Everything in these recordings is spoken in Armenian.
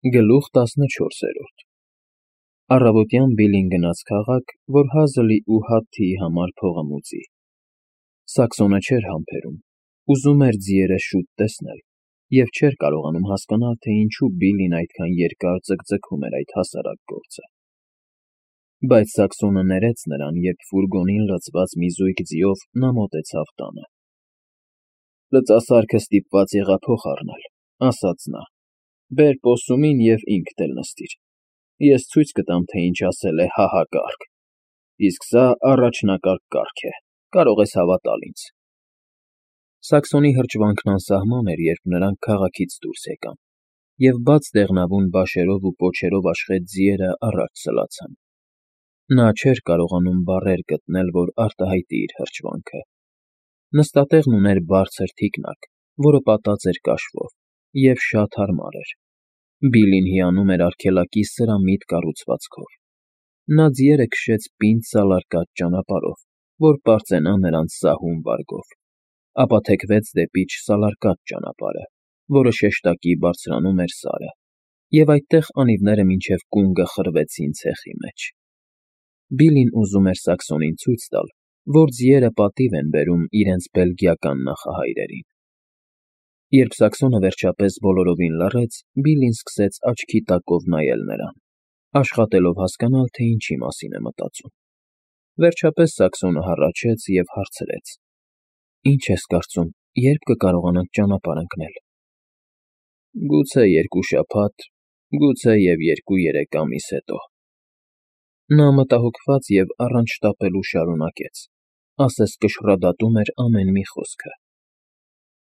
Գլուխ 14 Առավոտյան Բիլին գնաց քաղաք, որ հազլի ու Հաթթիի համար փողը մուծի։ Սաքսոնը չէր համբերում, ուզում էր ձիերը շուտ տեսնել և չէր կարողանում հասկանալ, թե ինչու Բիլին այդքան երկար ձգձգում էր այդ հասարակ գործը։ Բայց Սաքսոնը ներեց նրան, երբ ֆուրգոնին լցված մի զույգ ձիով նա մոտեցավ տանը։ «Լծասարքը ստիպված եղա փող առնել,֊ ասաց նա,֊ բեր պոssումին և ինքդ էլ նստիր, ես ցույց կտամ, թե ինչ ասել է ՀՀ կարգ, իսկ սա առաջնակարգ կարգ է, կարող ես հավատալ ինձ»։ Սաքսոնի հրճվանքն անսահման էր, երբ նրանք քաղաքից դուրս եկան, և բաց դեղնավուն բաշերով ու պոչերով աշխատած ձիերը առաջ սլացան։ Նա չէր կարողանում բառեր գտնել, որ արտահայտի իր հրճվանքը։ Նստատեղն ուներ բարձր թիկնակ, որը պատած էր կաշվով, և շատ հարմար էր։ Բիլին հիանում էր արգելակի սրամիտ կառուցվածքով։ Նա ձիերը քշեց պինդ սալարկած ճանապարհով, որ պարծենա նրանց սահուն վարգով, ապա թեքվեց դեպի չսալարկած ճանապարհը, որը շեշտակի բարձրանում էր սարը, և այդտեղ անիվները մինչև կունգը խրվեցին ցեխի մեջ։ Բիլին ուզում էր Սաքսոնին ցույց տալ, որ ձիերը պատիվ են բերում իրենց բելգիական նախահայրերին։ Երբ Սաքսոնը վերջապես բոլորովին լռեց, Բիլին սկսեց աչքի տակով նայել նրան, աշխատելով հասկանալ, թե ինչի մասին է մտածում։ Վերջապես Սաքսոնը հառաչեց և հարցրեց. «Ինչ ես կարծում, երբ կկարողանանք ճանապարհ ընկնել»։ «Գուցե 2 շաբաթ, գուցե և 2-3 ամիս հետո»։ Նա մտահոգված և առանց շտապելու շարունակեց, ասես կշռադատում էր ամեն մի խոսքը.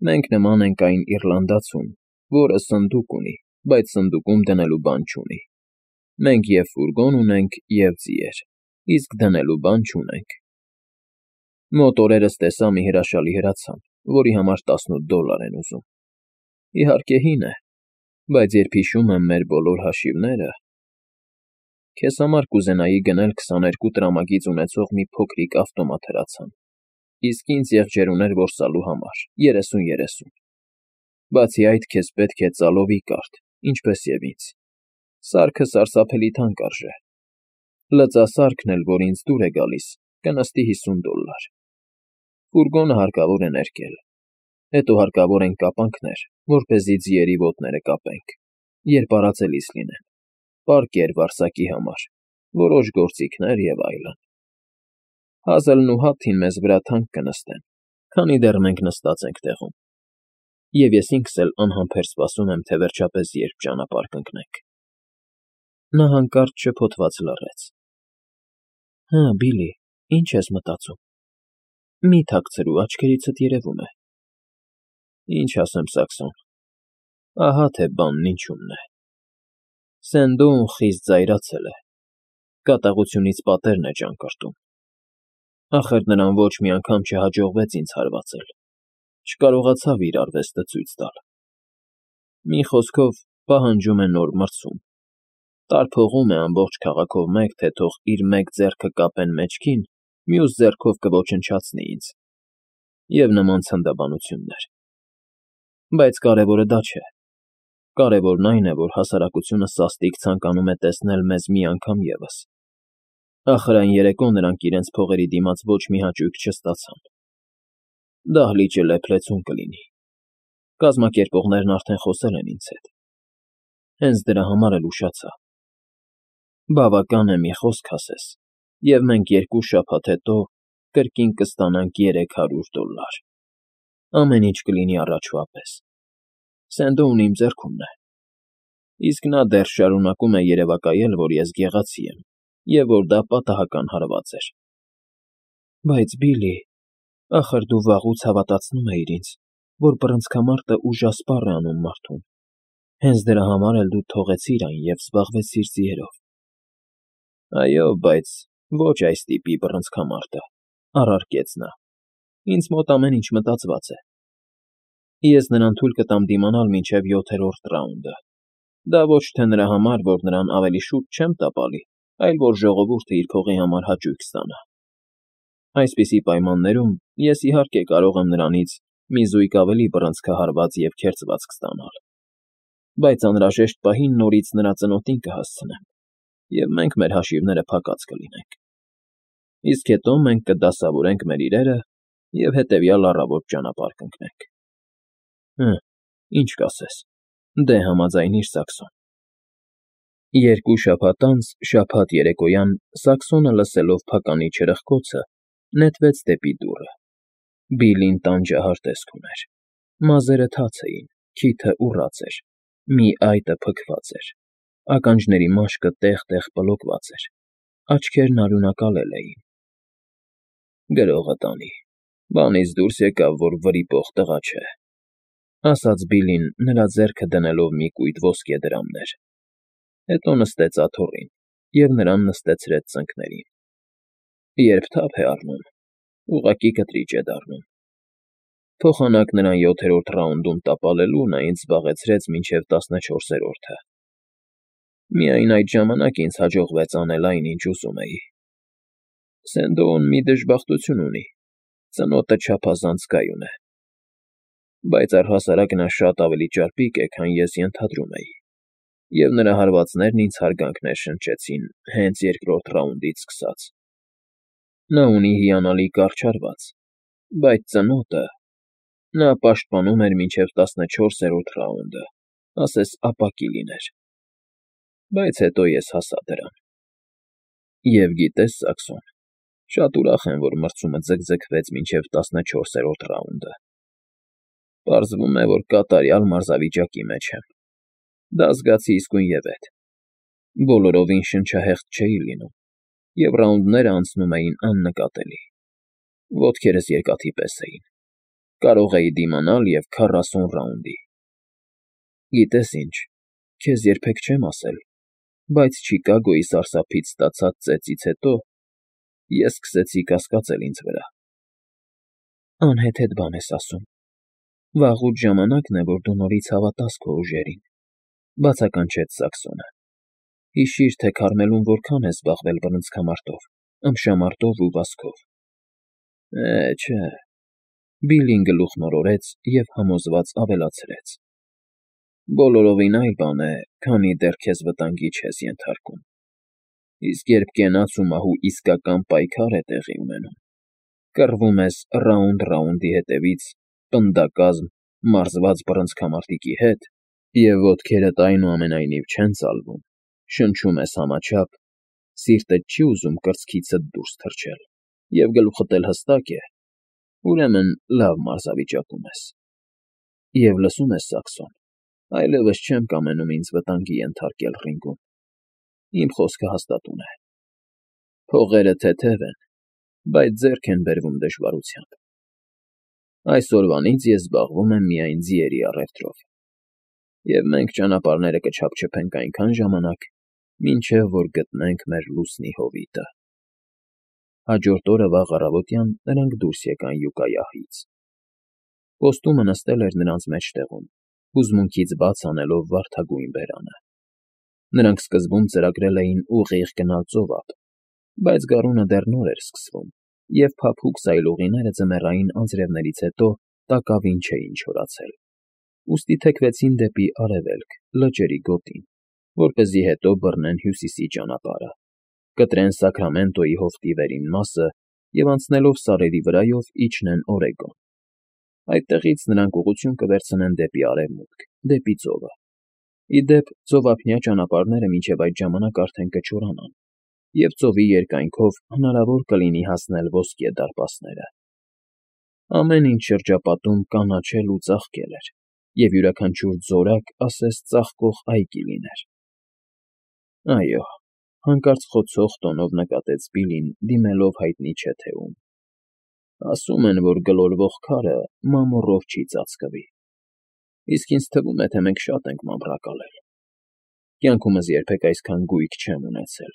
«Մենք նման ենք այն իռլանդացուն, որը սնդուկ ունի, բայց սնդուկում դնելու բան չունի։ Մենք և ֆուրգոն ունենք, և ձիեր, իսկ դնելու բան չունենք։ Մոտ օրերս տեսա մի հրաշալի հրացան, որի համար $18 են ուզում։ Իհարկե հին է, բայց երբ հիշում եմ մեր բոլոր հաշիվները… Քեզ համար կուզենայի գնել 22 տրամագիծ ունեցող մի փոքրիկ ավտոմատ հրացան, իսկ ինձ եղջերուներ որսալու համար 30-30։ Բացի այդ, քեզ պետք է ծալովի կարդ, ինչպես և ինձ։ Սարքը սարսափելի թանկ արժե։ Լծասարքն էլ, որ ինձ դուր է գալիս, կնստի $50։ Ֆուրգոնը հարկավոր է ներկել։ Հետո հարկավոր են կապանքներ, որպեսզի ձիերի ոտները կապենք, երբ արածելիս լինեն, պարկեր վարսակի համար, որոշ գործիքներ և այլն։ Հազլն ու Հաթթին մեզ վրա թանկ կնստեն, քանի դեռ մենք նստած ենք տեղում, և ես ինքս էլ անհամբեր սպասում եմ, թե վերջապես երբ ճանապարհ կընկնենք»։ Նա հանկարծ շփոթված լռեց։ «Հը, Բիլի, ինչ ես մտածում։ Մի թաքցրու, աչքերիցդ երևում է»։ «Ինչ ասեմ, Սաքսոն, ահա թե բանն ինչումն է։ Սենդոուն խիստ զայրացել է, կատաղությունից պատերն է ճանկռտում։ Ախր նրան ոչ մի անգամ չհաջողվեց ինձ հարվածել, չկարողացավ իր արվեստը ցույց տալ։ Մի խոսքով, պահանջում է նոր մրցում, տարփողում է ամբողջ քաղաքով մեկ, թե թող իր մեկ ձեռքը կապեն մեջքին, մյուս ձեռքով կոչնչացնի ինձ, և նման ցնդաբանություններ։ Բայց կարևորը դա չէ։ Կարևորն այն է, որ հասարակությունը սաստիկ ցանկանում է տեսնել մեզ մի անգամ ևս։ Ախր այն երեկո նրանք իրենց փողերի դիմաց ոչ մի հաճույք չստացան։ Դահլիճը լեփ-լեցուն կլինի։ Կազմակերպողներն արդեն խոսել են ինձ հետ։ Հենց դրա համար էլ ուշացա։ Բավական է մի խոսք ասես, և մենք 2 շաբաթ հետո կրկին կստանանք $300։ Ամեն ինչ կլինի առաջվա պես։ Սենդոուն իմ ձեռքումն է։ Իսկ նա դեռ շարունակում է երևակայել, որ ես գեղացի եմ, և որ դա պատահական հարված էր։ Բայց Բիլի, ախր դու վաղուց հավատացնում էիր ինձ, որ բռնցքամարտը ուժասպառ է անում մարդուն։ Հենց դրա համար էլ դու թողեցիր այն և զբաղվեցիր ձիերով։ Այո, բայց ոչ այս տիպի բռնցքամարտը, առարկեց նա։ Ինձ մոտ ամեն ինչ մտածված է։ Ես նրան թույլ կտամ դիմանալ մինչև 7-րդ ռաունդը։ Դա ոչ թե նրա համար, որ նրան ավելի շուտ չեմ տապալի, այլ որ ժողովուրդը իր փողի համար հաճույք ստանա։ Այսպիսի պայմաններում ես իհարկե կարող եմ նրանից մի զույգ ավելի բռնցքահարված և քերծվածք ստանալ։ բայց անհրաժեշտ պահին նորից նրա ծնոտին կհասցնեմ, և մենք մեր հաշիվները փակած կլինենք։ Իսկ հետո մենք կդասավորենք մեր իրերը և հետևյալ առավոտ ճանապարհ կընկնենք։ Ինչ կասես, դե համաձայնիր, Սաքսոն։ 2 շաբաթ անց շաբաթ երեկոյան Սաքսոնը, լսելով փականի չրխկոցը, նետվեց դեպի դուռը։ Բիլլին տանջահար տեսք ուներ։ Մազերը թաց էին, քիթը ուռած էր, մի այտը փքված էր, ականջների մաշկը տեղ֊տեղ պլոկված էր, աչքերն արյունակալել էին։ «Գրողը տանի, բանից դուրս եկավ, որ վրիպող տղա չէ», ասաց Բիլլին, նրա ձեռքը դնելով մի կույտ ոսկե դրամներ։ Հետո նստեց աթոռին և նրան նստեցրեց ծնկներին։ Երբ թափ է առնում, ուղղակի կտրիճ է դառնում։ Փոխանակ նրան 7-րդ ռաունդում տապալելու նա ինձ զբաղեցրեց մինչև 14-րդը։ Միայն այդ ժամանակ ինձ հաջողվեց անել այն, ինչ ուզում էի։ Սենդոուն մի դժբախտություն ունի, ծնոտը չափազանց կայուն է։ Բայց առհասարակ նա շատ ավելի ճարպիկ է, քան ես ենթադրում էի, և նրա հարվածներն ինձ հարգանքներ շնչեցին հենց 2-րդ ռաունդից սկսած։ Նա ունի հիանալի կարճ հարված, բայց ծնոտը… Նա պաշտպանում էր մինչև 14-րդ ռաունդը, ասես ապակի լիներ։ Բայց հետո ես հասա դրան։ Եվ գիտես, Սաքսոն, շատ ուրախ եմ, որ մրցումը ձգձգվեց մինչև 14-րդ ռաունդը։ Պարզվում է, որ կատարյալ մարզավիճակի մեջ եմ։ Դա զգացի իսկույնևեթ։ Բոլորովին շնչահեղձ չէի լինում, և ռաունդներն անցնում էին աննկատելի։ Ոտքերս երկաթի պես էին։ Կարող էի դիմանալ և 40 ռաունդի։ Գիտես ինչ, քեզ երբեք չեմ ասել, բայց Չիկագոյի սարսափից ստացած ծեծից հետո ես սկսեցի կասկածել ինձ վրա։ Անհեթեթ բան ես ասում։ Վաղուց ժամանակն է, որ դու նորից հավատաս քո ուժերին, բացականչեց Սաքսոնը։ Հիշիր, թե Քարմելում որքան ես զբաղվել բռնցքամարտով, ըմբշամարտով ու վազքով։ Չէ… Բիլլին գլուխն օրորեց և համոզված ավելացրեց. Բոլորովին այլ բան է, քանի դեռ քեզ վտանգի չես ենթարկում։ Իսկ երբ կենաց ու մահու իսկական պայքար է տեղի ունենում, կռվում ես ռաունդ ռաունդի հետևից պնդակազմ մարզված բռնցքամարտիկի հետ, և ոտքերդ այնուամենայնիվ չեն ծալվում, շնչում ես համաչափ, սիրտդ չի ուզում կրծքիցդ դուրս թռչել, և գլուխդ էլ հստակ է, ուրեմն լավ մարզավիճակում ես։ Եվ լսում ես, Սաքսոն, այլևս չեմ կամենում ինձ վտանգի ենթարկել ռինգում։ Իմ խոսքը հաստատուն է։ Փողերը թեթև են, բայց ձեռք են բերվում դժվարությամբ։ Այսօրվանից ես զբաղվում եմ միայն ձիերի առևտրով, և մենք ճանապարհները կչափչփենք այնքան ժամանակ, մինչև որ գտնենք մեր լուսնի հովիտը։ Հաջորդ օրը վաղ առավոտյան նրանք դուրս եկան Յուկայահից։ Պոստումը նստել էր նրանց մեջտեղում, հուզմունքից բաց անելով վարդագույն բերանը։ Նրանք սկզբում ծրագրել էին ուղիղ գնալ ծովափ, բայց գարունը դեռ նոր էր սկսվում, և փափուկ զայլուղիները ձմեռային անձրևներից հետո տակավին չէին չորացել։ Ուստի թեքվեցին դեպի արևելք, լճերի գոտին, որպեսզի հետո բռնեն հյուսիսի ճանապարհը, կտրեն Սաքրամենտոյի հովտի վերին մասը և անցնելով սարերի վրայով իջնեն Օրեգոն։ Այդտեղից նրանք ուղղություն կվերցնեն դեպի արևմուտք, դեպի ծովը։ Ի դեպ, ծովափնյա ճանապարհները մինչև այդ ժամանակ արդեն կչորանան, և ծովի երկայնքով հնարավոր կլինի հասնել ոսկե դարպասները։ Ամեն ինչ շրջապատում կանաչել ու ծաղկել էր, և յուրաքանչյուր ձորակ ասես ծաղկող այգի լիներ։ Այո, հանկարծ խոցող տոնով նկատեց Բիլլին, դիմելով հայտնի չէ թե ում։ Ասում են, որ գլորվող քարը մամուռով չի ծածկվի, իսկ ինձ թվում է, թե մենք շատ ենք մանրակալել։ Կյանքումս երբեք այսքան գույք չեմ ունեցել,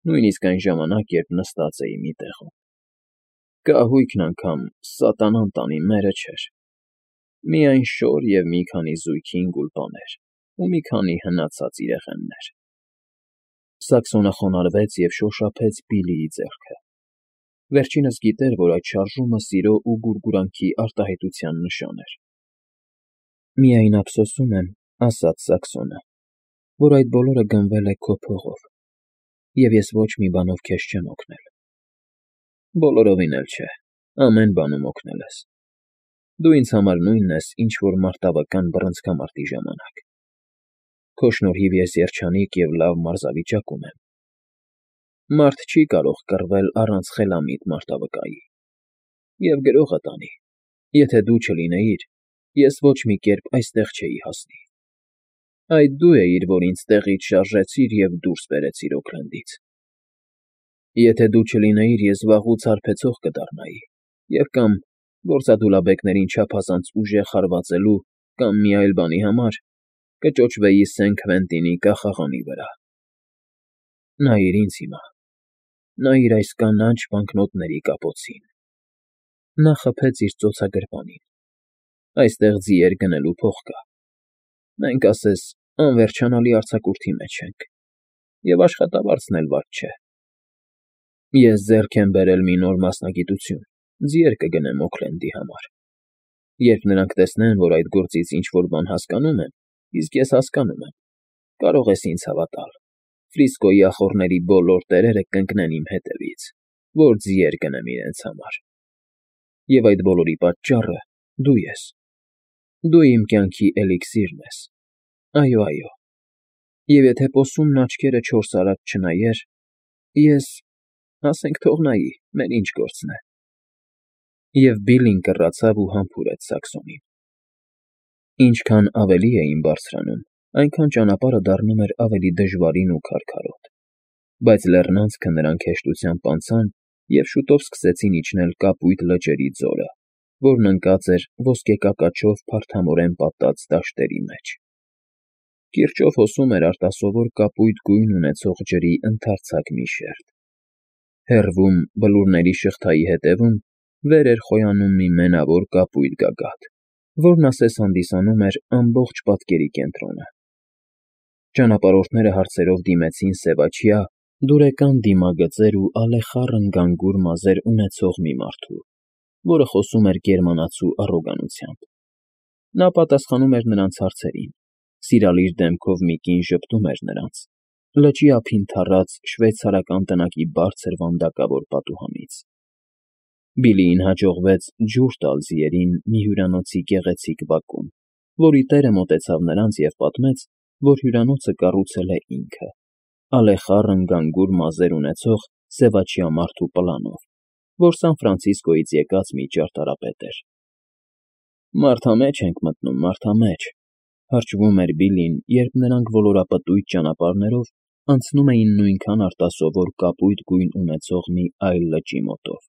նույնիսկ այն ժամանակ, երբ նստած էի մի տեղում։ Կահույքն անգամ, սատանան տանի, մերը չէր։ Միայն շոր և մի քանի զույգին գուլպաներ ու մի քանի հնացած իրեղեններ։ Սաքսոնը խոնարհվեց և շոշափեց Բիլլիի ձեռքը։ Վերջինս գիտեր, որ այդ շարժումը սիրո ու գուրգուրանքի արտահայտության նշան էր։ Միայն ափսոսում եմ, ասաց Սաքսոնը, որ այդ բոլորը գնվել է քո փողով, և ես ոչ մի բանով քեզ չեմ օգնել։ Բոլորովին էլ չէ, ամեն բանում օգնել ես։ Դու ինձ համար նույնն ես, ինչ որ մարտավական բռնցքամարտի ժամանակ։ Քո շնորհիվ ես երջանիկ և լավ մարզավիճակում եմ։ Մարդ չի կարող կռվել առանց խելամիտ մարտավկայի։ Եվ գրողը տանի, եթե դու չլինեիր, ես ոչ մի կերպ այստեղ չէի հասնի։ Այդ դու էիր, որ ինձ տեղից շարժեցիր և դուրս բերեցիր Օքլենդից։ Եթե դու չլինեիր, ես վաղուց հարբեցող կդառնայի և կամ գործադուլաբեկներին չափազանց ուժեղ հարվածելու կամ մի այլ բանի համար կճոճվեի Սեն Քվենտինի կախաղանի վրա։ Նայիր ինձ հիմա, նայիր այս կանաչ բանկնոտների կապոցին։ Նա խփեց իր ծոցագրպանին։ Այստեղ ձիեր գնելու փող կա։ Մենք, ասես, անվերջանալի արձակուրդի մեջ ենք, և աշխատավարձն էլ վատ չէ։ Ես ձեռք եմ բերել մի նոր մասնագիտություն, ձիեր կգնեմ Օքլենդի համար։ Երբ նրանք տեսնեն, որ այդ գործից ինչ֊որ բան հասկանում եմ, իսկ ես հասկանում եմ, կարող ես ինձ հավատալ, Ֆրիսկոյի ախոռների բոլոր տերերը կընկնեն իմ հետևից, որ ձիեր գնեմ իրենց համար։ Եվ այդ բոլորի պատճառը դու ես։ Դու իմ կյանքի էլիքսիրն ես։ Այո, այո։ Եվ եթե պոսումն աչքերը 4 արած չնայեր, ես, ասենք թող նայի, մեր ինչ գործն է։ Եվ Բիլլին կռացավ ու համբուրեց Սաքսոնին։ Ինչքան ավելի էին բարձրանում, այնքան ճանապարհը դառնում էր ավելի դժվարին ու քարքարոտ, բայց լեռնանցքը նրանք հեշտությամբ անցան և շուտով սկսեցին իջնել կապույտ լճերի ձորը, որն ընկած էր ոսկեկակաչով փարթամորեն պատած դաշտերի մեջ։ Կիրճով հոսում էր արտասովոր կապույտ գույն ունեցող ջրի ընդարձակ մի շերտ։ Հեռվում, բլուրների շղթայի հետևում, վեր էր խոյանում մի մենավոր կապույտ գագաթ, որն ասես հանդիսանում էր ամբողջ պատկերի կենտրոնը։ Ճանապարհորդները հարցերով դիմեցին սևաչյա, դուրեկան դիմագծեր ու ալեխառն գանգուր մազեր ունեցող մի մարդու, որը խոսում էր գերմանացու առոգանությամբ։ Նա պատասխանում էր նրանց հարցերին, սիրալիր դեմքով մի կին ժպտում էր նրանց, լճի ափին թառած շվեյցարական տնակի բարձր վանդակավոր պատուհանից։ Բիլլիին հաջողվեց ջուր տալ ձիերին մի հյուրանոցի գեղեցիկ բակում, որի տերը մոտեցավ նրանց և պատմեց, որ հյուրանոցը կառուցել է ինքը, ալեխառն գանգուր մազեր ունեցող սևաչյա մարդու պլանով, որ Սան Ֆրանցիսկոյից եկած մի ճարտարապետ էր։ Մարդամեջ ենք մտնում, մարդամեջ, հրճվում էր Բիլլին, երբ նրանք ոլորապտույտ ճանապարհներով անցնում էին նույնքան արտասովոր կապույտ գույն ունեցող մի այլ լճի մոտով։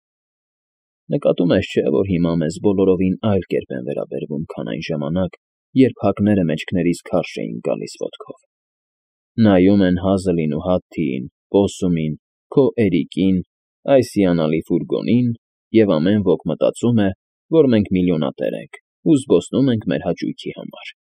Նկատում ես, չէ՞, որ հիմա մեզ բոլորովին այլ կերպ են վերաբերվում, քան այն ժամանակ, երբ հակները մեջքներիս քարշ էին գալիս ոտքով։ Նայում են Հազլին ու Հաթթիին, Պոսումին, քո Էրիկին, այս հիանալի ֆուրգոնին, և ամեն ոք մտածում է, որ մենք միլիոնատեր ենք ու զբոսնում ենք մեր հաճույքի համար։